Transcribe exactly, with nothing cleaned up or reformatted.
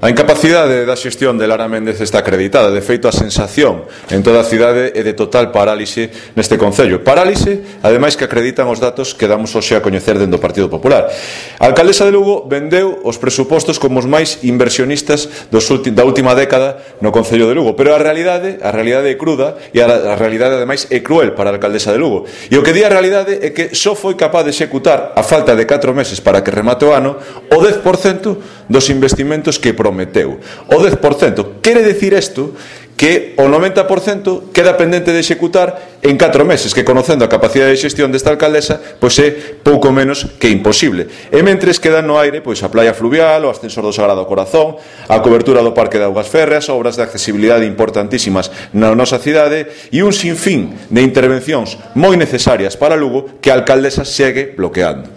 A incapacidade da xestión de Lara Méndez está acreditada. De feito, a sensación en toda a cidade é de total parálise neste concello. Parálise, ademais, que acreditan os datos que damos hoxe a coñecer dentro do Partido Popular. A alcaldesa de Lugo vendeu os presupostos como os máis inversionistas dos ulti, da última década no concello de Lugo, pero a realidade, a realidade é cruda e a, a realidade, ademais, é cruel para a alcaldesa de Lugo. E o que di a realidade é que só foi capaz de executar, a falta de catro meses para que remate o ano, o dez por cento dos investimentos que prometeu. O dez por cento. Quere dicir isto que o noventa por cento queda pendente de executar en catro meses, que conocendo a capacidade de xestión desta alcaldesa, pois é pouco menos que imposible. E mentres quedan no aire pois a playa fluvial, o ascensor do Sagrado Corazón, a cobertura do Parque de Augas Férreas, obras de accesibilidade importantísimas na nosa cidade e un sinfín de intervencións moi necesarias para Lugo que a alcaldesa segue bloqueando.